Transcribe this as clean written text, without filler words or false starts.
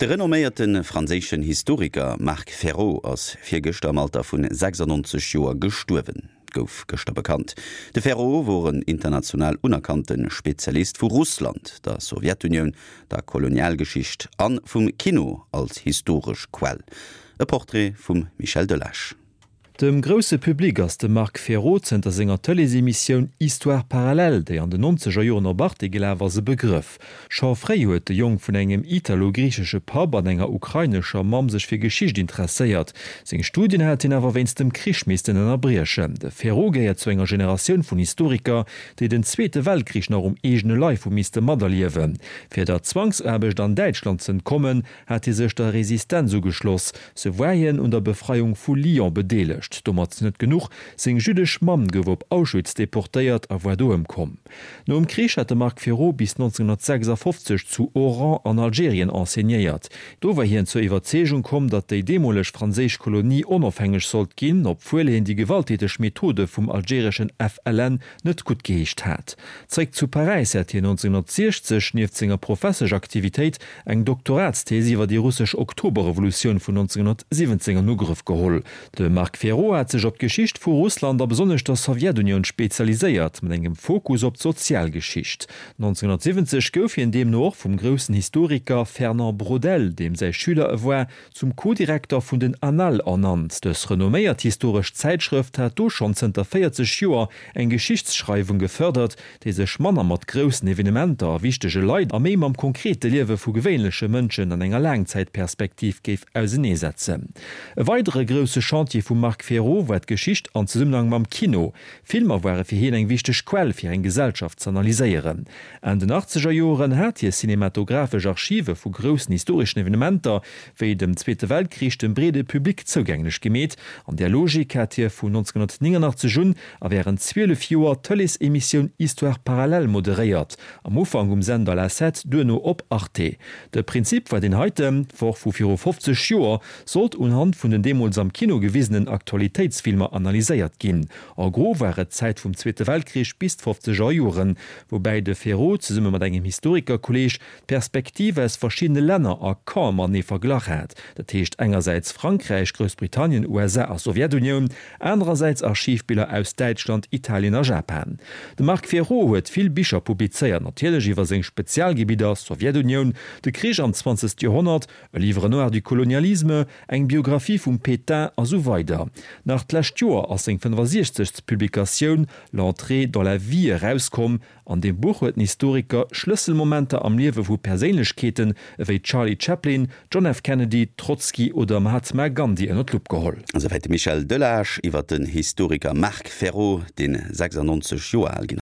De renomméierte franséischen Historiker Marc Ferro ass virgëschter am Alter vun 96 Joer gestuerwen, gouf gëschter bekannt. De Ferro wor en international unerkannte Spezialist vu Russland, der Sowjetunioun, der Kolonialgeschicht a vum Kino als historesch Quell. E Portrait vum Michel Delage. Dem grousse Public ass de Marc Ferro zënter senger Tëleesemissioun Histoires parallèles, déi an den nonzeger Joren op Arte gelaf ass, e Begrëff. Scho fréi huet de Jong vun engem italo-griichesche Papp an enger ukrainescher Mamm sech fir Geschicht interesséiert. Seng Studien hat hien awer wéinst dem Krich missten ënnerbriechen. De Ferro gehéiert zu enger Generatioun vun Historiker, déi den Zweete Weltkrich nach um eegene Leif hu misste materliewen. Fir der Zwangsaarbecht an Däitschland z'entkommen, hat hie sech der Resistenz ugeschloss. Sou war hien un der Befreiung vu Lyon bedeelegt. Domat net genuch, seng jüddesch Mamm gouf op Auschwitz deportéiert a war do ëmkomm. Nom Krich hat de Marc Ferro bis 1956 zu Oran an Algerien enseignéiert. Do war hien zur Iwwerzeegung komm, datt déi deemoleg franséisch Kolonie onofhängeg sollt ginn, obwuel hien déi gewalttäteg Methode vum algereschen FLN net guttgeheescht hat. Zréck zu Paräis hat hien 1960 nieft senger Professeschaktivitéit eng Doktoratsthees iwwer déi russesch Oktoberrevolutioun vun 1917 an Ugrëff geholl. De Marc Ferro hat sech op d'Geschicht vu Russland a besonnesch der Sowjetunioun spezialiséiert, mat engem Fokus op d'Sozialgeschicht. 1970 gouf hien deemno och vum groussen Historiker Fernand Braudel, deem säi Schüler e war, zum Co-Direkter vun den Annales ernannt. Dës renomméiert historesch Zäitschrëft hat do schonn zënter 40 Joer eng Geschichtsschreiwung gefërdert, déi sech manner mat groussen Evenementer a wichtege Leit a méi mam konkrete Liewe vu gewéinleche Mënschen an enger Laangzäitperspektiv géif auseneesetzen. E weidere grousse Chantier vum Marc Ferro war d'Geschicht an Zesummenhang mam Kino. Filmer ware fir hien eng wichteg Quell fir eng Gesellschaft z'analyséieren. Enn den achtzeger Joren hat hie cinematographesch Archive vu groussen historeschen Evenementer, wéi dem Zweete Weltkrich, dem breede Public zougänglech gemeet. An där Logik hat hie vun 1989 un a wärend 12 Joer d'Tëleesemissioun Histoires parallèles moderéiert, am Ufank um Sender La Sept, duerno op Arte. De Prinzip war deen heiten, D'Woch vu viru 50 Joer sollt unhand vun den deemools am Kino gewisenen Aktualitéitsfilmer analyséiert ginn. En gros war et d'Zäit vum Zweete Weltkrich bis d'fofzeger Joren, woubäi de Ferro zesumme mat engem Historikerkolleeg d'Perspektiv aus verschiddene Länner a Campe matenee verglach hat, dat heescht engersäits Frankräich, Groussbritannien, USA a Sowjetunioun, anerersäits Archivbiller aus Däitschland, Italien a Japan. De Marc Ferro huet vill Bicher publizéiert, natierlech iwwer seng Spezialgebidder, Sowjetunioun, de Krich am zwanzegst Joerhonnert, E Livre noir du colonialisme, eng Biographie vum Pétain a sou weider. Nach d'lescht Joer ass seng 65. Publikatioun L'entrée dans la vie erauskomm. An deem Buch huet den Historiker Schlësselmomenter am Liewe vu Perséinlechkeeten ewéi Charlie Chaplin, John F. Kennedy, Trotzki oder Mahatma Gandhi ënner d'Lupp geholl. Esouwäit de Michel Delage iwwer den Historiker Marc Ferro, deen 96 Joer al ginn.